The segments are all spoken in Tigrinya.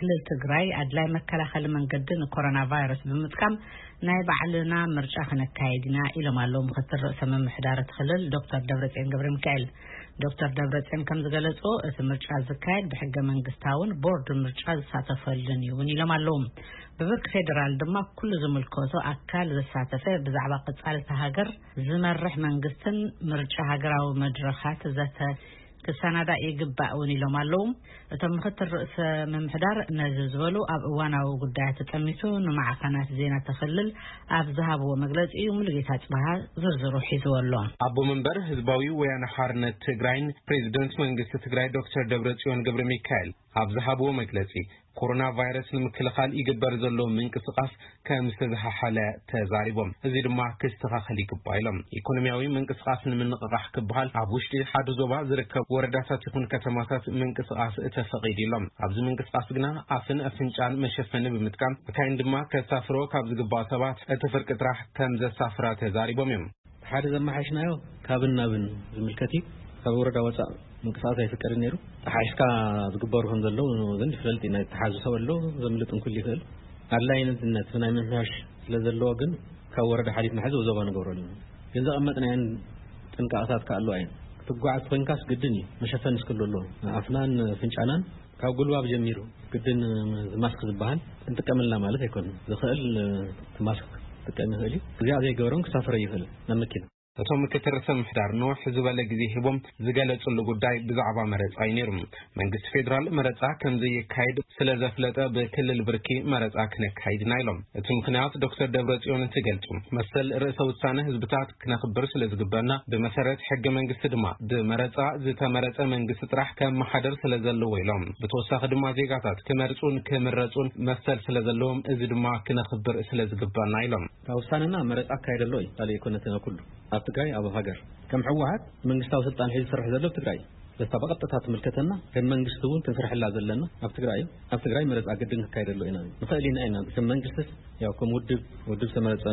ክልል ትግራይ ኣድላይ መከላኸሊ መንገዲ ንኮሮና ቫይረስ ብምጥቃም ናይ ባዕልና ምርጫ ክነካየድ ኢና ኢሎም ኣለዉ ምክትል ርእሰ ምምሕዳር እቲ ክልል ዶክተር ደብረጽዮን ገብረ ሚካኤል። ዶክተር ደብረጽዮን ከም ዝገለጽዎ እቲ ምርጫ ዝካየድ ብሕገ መንግስታውን ቦርድ ምርጫ ዝሳተፈሉን እዩ እውን ኢሎም ኣለዉ። ብብርኪ ፌዴራል ድማ ኩሉ ዝምልከቶ ኣካል ዘሳተፈ ብዛዕባ ቀጻልቲ ሃገር ዝመርሕ መንግስትን ምርጫ ሃገራዊ መድረኻት ዘተ ክሰናዳእ ይግባእ እውን ኢሎም ኣለዉ። እቶም ምክትል ርእሰ ምምሕዳር ነዚ ዝበሉ ኣብ እዋናዊ ጉዳያት ተጠሚቱ ንማዕኸናት ዜና ተኽልል ኣብ ዝሃብዎ መግለጺ እዩ። ሙሉጌታ ጽባሃ ዝርዝሩ ሒዝዎ ኣሎ። ኣቦ መንበር ህዝባዊ ወያነ ሓርነት ትግራይን ፕሬዚደንት መንግስቲ ትግራይ ዶክተር ደብረጽዮን ገብረ ሚካኤል ኣብ ዝሃብዎ መግለጺ፣ ኮሮና ቫይረስ ንምክልኻል ይግበር ዘሎ ምንቅስቓስ ከም ዝተዝሓሓለ ተዛሪቦም። እዚ ድማ ክስተኻኸል ይግባእ ኢሎም። ኢኮኖሚያዊ ምንቅስቓስ ንምንቕቓሕ ክበሃል ኣብ ውሽጢ ሓደ ዞባ ዝርከብ ወረዳታት ይኹን ከተማታት ምንቅስቓስ ተፈቒዱ ኢሎም። ኣብዚ ምንቅስቓስ ግና ኣፍን ኣፍንጫን መሸፈኒ ብምጥቃም፣ መካይን ድማ ከሳፍሮ ካብ ዝግባእ ሰባት እቲ ፍርቂ ጥራሕ ከም ዘሳፍራ ተዛሪቦም እዮም። ሓደ ዘመሓሽናዮ ካብን ናብን ዝምልከት እዩ። ካብ ወረዳ ወፃእ ምንቅስቃስ ኣይፍቀድን ነይሩ። ተሓሒስካ ዝግበሩ ከም ዘለዉ ግን ይፍለጥ እዩ። ናይ ተሓዙ ሰብ ኣሎ፣ ዘምልጥ እንኩል ይኽእል። ኣድላይነት ናይ ምምሕያሽ ስለ ዘለዎ ግን ካብ ወረዳ ሓሊፍና ሕዚ ዞባ ንገብረሉ ኢና። ግን ዘቐመጥናየን ጥንቃቐታት ከ ኣለዋ እየን። ክትጓዓዝ ኮይንካስ ግድን እዩ መሸፈኒ እስክሉ ኣለዎ። ኣፍናን ፍንጫናን ካብ ጉልባብ ጀሚሩ ግድን ማስክ ዝበሃል ክንጥቀም ኣለና ማለት ኣይኮነን። ዝኽእል እቲ ማስክ ክጥቀም ይኽእል እዩ። እዚኣ ዘይገበሮም ክሳፈር ይኽእል ናብ መኪና። እቶም ምክትል ርእሰ ምምሕዳር ንውሕ ዝበለ ግዜ ሂቦም ዝገለጹሉ ጉዳይ ብዛዕባ መረጻ እዩ ነይሩ። መንግስቲ ፌዴራል መረጻ ከም ዘየካይድ ስለ ዘፍለጠ ብክልል ብርኪ መረጻ ክነካይድ ኢና ኢሎም። እቲ ምኽንያት ዶክተር ደብረጽዮን እንትገልጹ፣ መሰል ርእሰ ውሳነ ህዝብታት ክነኽብር ስለ ዝግበና፣ ብመሰረት ሕገ መንግስቲ ድማ ብመረጻ ዝተመረጸ መንግስቲ ጥራሕ ከመሓደር ስለ ዘለዎ ኢሎም። ብተወሳኺ ድማ ዜጋታት ክመርጹን ክምረጹን መሰል ስለ ዘለዎም፣ እዚ ድማ ክነኽብር ስለ ዝግበና ኢሎም። ካብ ውሳነና መረጻ ኣካየደ ኣሎ እዩ። ካልእ ኣይኮነትን ኣብ ኩሉ። ኣብ ትግራይ ኣብ ሃገር ከም ህወሓት መንግስታዊ ስልጣን ሒዙ ዝሰርሕ ዘሎ ኣብ ትግራይ እዩ። ዘታ ብቐጥታ ትምልከተና ከም መንግስቲ እውን ክንሰርሐላ ዘለና ኣብ ትግራይ እዩ። ኣብ ትግራይ መረጻ ግድን ክካየደሉ ኢና ንኽእል ኢና ኢና። ከም መንግስቲ ያው ከም ውድብ፣ ውድብ ዝተመረጸ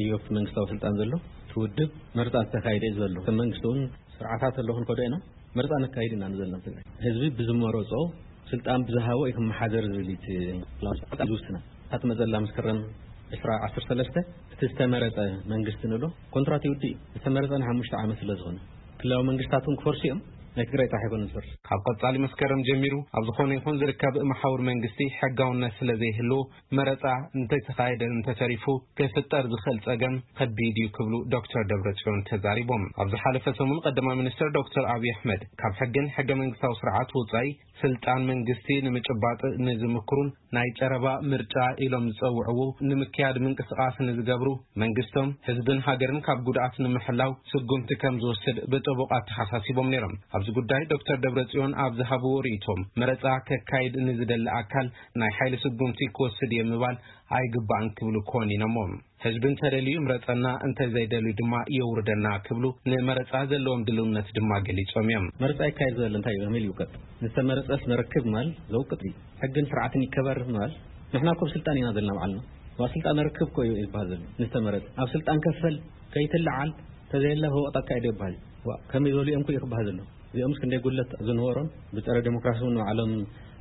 እዩ ኣብቲ መንግስታዊ ስልጣን ዘሎ። እቲ ውድብ መረጻ ዝተካየደ እዩ ዘሎ። ከም መንግስቲ እውን ስርዓታት ኣሎ ክንከዶ ኢና። መረጻ ነካይድ ኢና ንዘልና ኣብ ትግራይ። ህዝቢ ብዝመረጾ ስልጣን ብዝሃቦ እዩ ክመሓደር ዝብል እዩ እቲ ላውንስ ዝውስና። እታ ትመጸላ መስከረም ዕስራ ዓሰርተ ሰለስተ እቲ ዝተመረጸ መንግስቲ ንብሎ ኮንትራት ይውድእ እዩ። ዝተመረጸ ንሓሙሽተ ዓመት ስለ ዝኾነ ክልላዊ መንግስታት እውን ክፈርሱ እዮም። ናይ ትግራይ ጥራሕ ኣይኮነን ዝፈርስ። ካብ ቀጻሊ መስከረም ጀሚሩ ኣብ ዝኾነ ይኹን ዝርከብ መሓውር መንግስቲ ሕጋውነት ስለ ዘይህልዎ መረጻ እንተተኻየደ እንተተሪፉ ክፍጠር ዝኽእል ጸገም ከቢድ እዩ ክብሉ ዶክተር ደብረጽዮን ተዛሪቦም። ኣብ ዝሓለፈ ሰሙን ቀዳማይ ሚኒስትር ዶክተር ኣብይ ኣሕመድ ካብ ሕግን ሕገ መንግስታዊ ስርዓት ወጻኢ ስልጣን መንግስቲ ንምጭባጥ ንዝምክሩን ናይ ጨረባ ምርጫ ኢሎም ዝጸውዕዎ ንምክያድ ምንቅስቓስ ንዝገብሩ መንግስቶም ህዝብን ሃገርን ካብ ጉድኣት ንምሕላው ስጉምቲ ከም ዝወስድ ብጥቡቕ ኣተሓሳሲቦም ነይሮም። ኣብዚ ጉዳይ ዶክተር ደብረጽዮን ኣብ ዝሃብዎ ርእይቶም መረጻ ከካይድ ንዝደሊ ኣካል ናይ ሓይሊ ስጉምቲ ክወስድ እየ ምባል ኣይግባእን ክብሉ ኮኒኖሞ። ህዝቢ እንተደልዩ ይምረጸና፣ እንተዘይደልዩ ድማ የውርደና ክብሉ ንመረጻ ዘለዎም ድልውነት ድማ ገሊጾም እዮም። መረጻ ይካየድ ዘሎ እንታይ እዩ ከመይ ይውቀጥ? ዝተመረጸስ መረክብ ማል ዘውቅጥ እዩ። ሕግን ስርዓትን ይከበር ማል ንሕና እኮ ኣብ ስልጣን ኢና ዘለና ባዕልና። ዋ ስልጣን ርክብ እኮ እዩ ይበሃል ዘሎ። ዝተመረጸ ኣብ ስልጣን ከፈል ከይትለዓል ተዘየለ ህወቕት ኣካይዶ ይበሃል። ዋ ከመይ ዝበሉ እዮም እኮ እዩ ክበሃል ዘሎ። እዚኦምስ ክንደይ ጉድለት ዝነበሮም ብጸረ ዴሞክራሲ እውን ንባዕሎም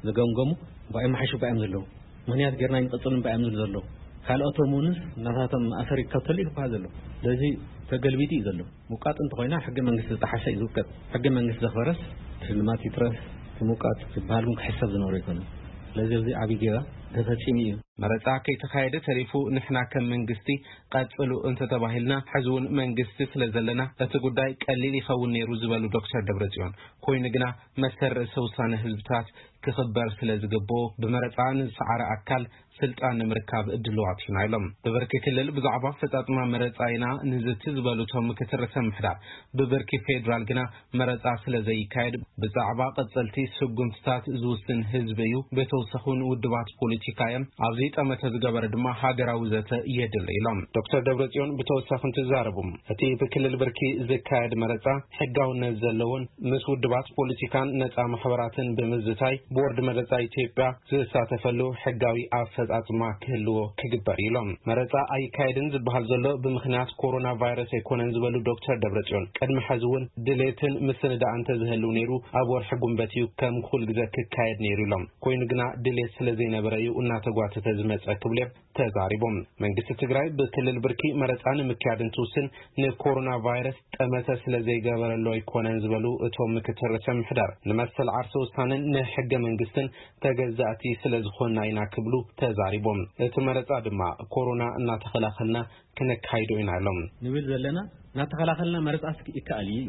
ዝገምገሙ እምበኣር ይመሓሹ እምበኣር እዮም ዘለዉ። ምኽንያት ጌርና ይንቐጽሉ እምበኣር እዮም ዝብሉ ዘለዉ። ካልኦቶም እውንስ ናታቶም ኣሰር ይከተሉ እዩ ክበሃል ዘሎ። ስለዚ ተገልቢጡ እዩ ዘሎ። ምውቃጥ እንተኾይና ሕገ መንግስቲ ዝጠሓሰ እዩ ዝውቀጥ። ሕገ መንግስቲ ዘኽበረስ ሽልማት ይትረፍ እቲ ምውቃጥ ዝበሃል እውን ክሕሰብ ዝነበሮ ኣይኮነን። ስለዚ ኣብዚ ዓብዪ ጌጋ ተፈጺሙ እዩ። መረጻ ከይተኻየደ ተሪፉ ንሕና ከም መንግስቲ ቀጽሉ እንተተባሂልና፣ ሕዚ እውን መንግስቲ ስለ ዘለና እቲ ጉዳይ ቀሊል ይኸውን ነይሩ ዝበሉ ዶክተር ደብረጽዮን፣ ኮይኑ ግና መሰል ርእሰ ውሳነ ህዝብታት ክኽበር ስለ ዝግብኦ ብመረጻ ንዝሰዓረ ኣካል ስልጣን ንምርካብ ድልዋት ኢና ኢሎም። ብብርኪ ክልል ብዛዕባ ኣፈጻጽማ መረጻ ኢና ንዝቲ ዝበሉ እቶም ምክትል ርእሰ ምምሕዳር፣ ብብርኪ ፌዴራል ግና መረጻ ስለ ዘይካየድ ብዛዕባ ቀጸልቲ ስጉምትታት ዝውስን ህዝቢ እዩ። ብተወሳኺ እውን ውድባት ፖለቲካ እዮም። ኣብዚ ጠመተ ዝገበረ ድማ ሃገራዊ ዘተ የድሊ ኢሎም። ዶክተር ደብረጽዮን ብተወሳኺ እንትዛረቡ፣ እቲ ብክልል ብርኪ ዝካየድ መረጻ ሕጋውነት ዘለዎን ምስ ውድባት ፖለቲካን ነጻ ማሕበራትን ብምዝታይ ቦርድ መረጻ ኢትዮጵያ ዝሳተፈሉ ሕጋዊ ኣፈ ኣፈፃፅማ ክህልዎ ክግበር እዩ ኢሎም። መረፃ ኣይካየድን ዝበሃል ዘሎ ብምኽንያት ኮሮና ቫይረስ ኣይኮነን ዝበሉ ዶክተር ደብረፅዮን፣ ቅድሚ ሕዚ እውን ድሌትን ምስንዳእ እንተዝህልው ነይሩ ኣብ ወርሒ ጉንበት እዩ ከም ኩል ግዘ ክካየድ ነይሩ ኢሎም። ኮይኑ ግና ድሌት ስለዘይነበረ እዩ እናተጓተተ ዝመፀ ክብሉ እዮም ተዛሪቦም። መንግስቲ ትግራይ ብክልል ብርኪ መረፃ ንምክያድ እንትውስን ንኮሮና ቫይረስ ጠመተ ስለዘይገበረሉ ኣይኮነን ዝበሉ እቶም ምክትል ርእሰ ምሕዳር፣ ንመሰል ዓርሰ ውሳነን ንሕገ መንግስትን ተገዛእቲ ስለዝኾንና ኢና ክብሉ ተዛሪቦም። እቲ መረፃ ድማ ኮሮና እናተኸላኸልና ክነካይዶ ኢና ኢሎም። ንብል ዘለና እናተኸላኸልና መረፃ ይከኣል እዩ።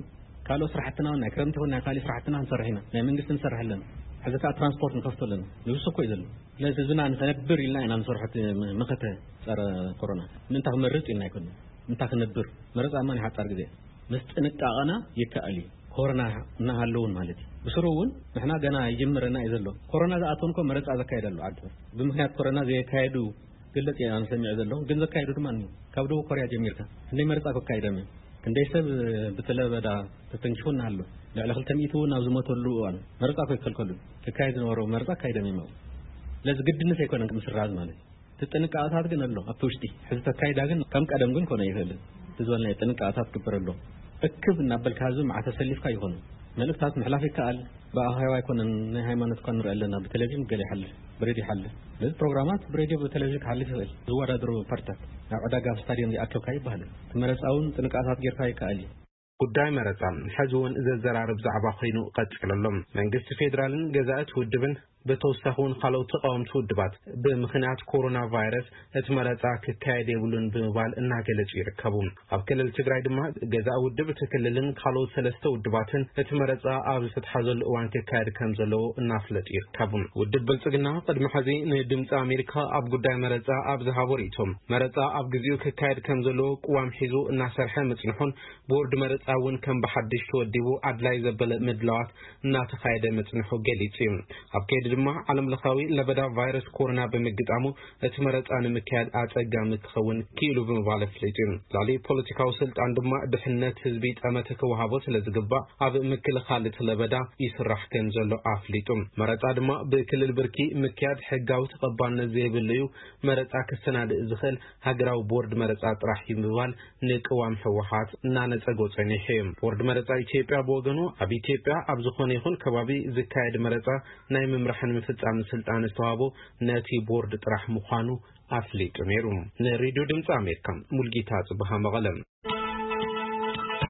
ካልኦት ስራሕትና እውን ናይ ክረምቲ ይኹን ናይ ካልእ ስራሕትና ንሰርሕ ኢና። ናይ መንግስቲ ንሰርሕ ኣለና። ሕዚ ከዓ ትራንስፖርት ንኸፍቶ ኣለና። ንብሱ እኮ እዩ ዘሎ። ስለዚ ህዝብና ንኸነብር ኢልና ኢና ንሰርሖ እቲ መኸተ ፀረ ኮሮና። ምእንታ ክመርፅ ኢልና ኣይኮንን። ምእንታ ክነብር። መረፃ እማ ናይ ሓፃር ግዜ። ምስ ጥንቃቐና ይከኣል እዩ። ኮሮና እናሃለውን ማለት እዩ። ብስሩ እውን ንሕና ገና ይጅምረና እዩ ዘሎ። ኮሮና ዝኣተወን እኮ መረፃ ዘካየድ ኣሎ ዓዲ። ብምኽንያት ኮሮና ዘየካየዱ ገለፅ ኢና ንሰሚዕ ዘለኹ፣ ግን ዘካየዱ ድማ እኒሁ። ካብ ደቡብ ኮርያ ጀሚርካ ክንደይ መረፃ ከካይዶም እዮም? ክንደይ ሰብ ብትለበዳ ተተንኪፉ እናሃሎ ልዕሊ ክልተ ሚእቲ እውን ኣብ ዝሞተሉ እዋን መረፃ እኮ ይከልከሉ። ክካየድ ዝነበሮ መረፃ ኣካይዶም እዮም ኣብኡ። ስለዚ ግድነት ኣይኮነን ምስራዝ ማለት እዩ። እቲ ጥንቃቐታት ግን ኣሎ ኣብቲ ውሽጢ። ሕዚ ተካይዳ ግን ከም ቀደም ግን ኮነ ይኽእልን። እቲ ዝበልናዮ ጥንቃቐታት ክግበር ኣሎ። እክብ እናበልካ ህዝቢ መዓት ተሰሊፍካ ይኾኑ። መልእክታት ምሕላፍ ይከኣል። ብኣኼባ ኣይኮነን፣ ናይ ሃይማኖት እኳ ንርኢ ኣለና፣ ብቴሌቪዥን ገለ ይሓልፍ፣ ብሬድዮ ይሓልፍ። ስለዚ ፕሮግራማት ብሬድዮ ብቴሌቪዥን ክሓልፍ ይኽእል። ዝወዳደሩ ፓርቲታት ናብ ዕዳጋ ኣብ ስታድዮም ዘይኣከብካ ይበሃል። እቲ መረፃ እውን ጥንቃቐታት ጌርካ ይከኣል እዩ። ጉዳይ መረፃ ሕዚ እውን ዘዘራርብ ዛዕባ ኮይኑ ቀፂሉ ኣሎ። መንግስቲ ፌዴራልን ገዛእቲ ውድብን ብተወሳኺ እውን ካልኦት ተቃወምቲ ውድባት ብምኽንያት ኮሮና ቫይረስ እቲ መረፃ ክካየድ የብሉን ብምባል እናገለጹ ይርከቡ። ኣብ ክልል ትግራይ ድማ ገዛኢ ውድብ እቲ ክልልን ካልኦት ሰለስተ ውድባትን እቲ መረፃ ኣብ ዝተትሓዘሉ እዋን ክካየድ ከም ዘለዎ እናፍለጡ ይርከቡ። ውድብ ብልፅግና ቅድሚ ሕዚ ንድምፂ ኣሜሪካ ኣብ ጉዳይ መረፃ ኣብ ዝሃቦ ርእይቶ፣ መረፃ ኣብ ግዜኡ ክካየድ ከም ዘለዎ ቅዋም ሒዙ እናሰርሐ ምፅንሑን ቦርድ መረፃ እውን ከም ብሓድሽ ተወዲቡ ኣድላይ ዘበለ ምድላዋት እናተኻየደ ምፅንሑ ገሊጹ እዩ። ኣብ ከይዲ ድማ ዓለም ለኻዊ ለበዳ ቫይረስ ኮሮና ብምግጣሙ እቲ መረፃ ንምክያድ ኣፀጋሚ ክኸውን ክኢሉ ብምባል ኣፍሊጡ እዩ። ልዕሊ ፖለቲካዊ ስልጣን ድማ ድሕነት ህዝቢ ጠመተ ክወሃቦ ስለ ዝግባእ ኣብ ምክልኻል እቲ ለበዳ ይስራሕ ከም ዘሎ ኣፍሊጡ። መረፃ ድማ ብክልል ብርኪ ምክያድ ሕጋዊ ተቐባልነት ዘይብሉ እዩ። መረፃ ክሰናድእ ዝኽእል ሃገራዊ ቦርድ መረፃ ጥራሕ እዩ ብምባል ንቅዋም ህወሓት እናነፀጎ ጸኒሑ እዩ። ቦርድ መረፃ ኢትዮጵያ ብወገኑ ኣብ ኢትዮጵያ ኣብ ዝኾነ ይኹን ከባቢ ዝካየድ መረፃ ናይ ምምራሕን ምፍፃምን ስልጣን ዝተዋህቦ ነቲ ቦርድ ጥራሕ ምዃኑ ኣፍሊጡ ነይሩ። ንሬድዮ ድምፂ ኣሜሪካ ሙልጌታ ጽብሃ መቐለ።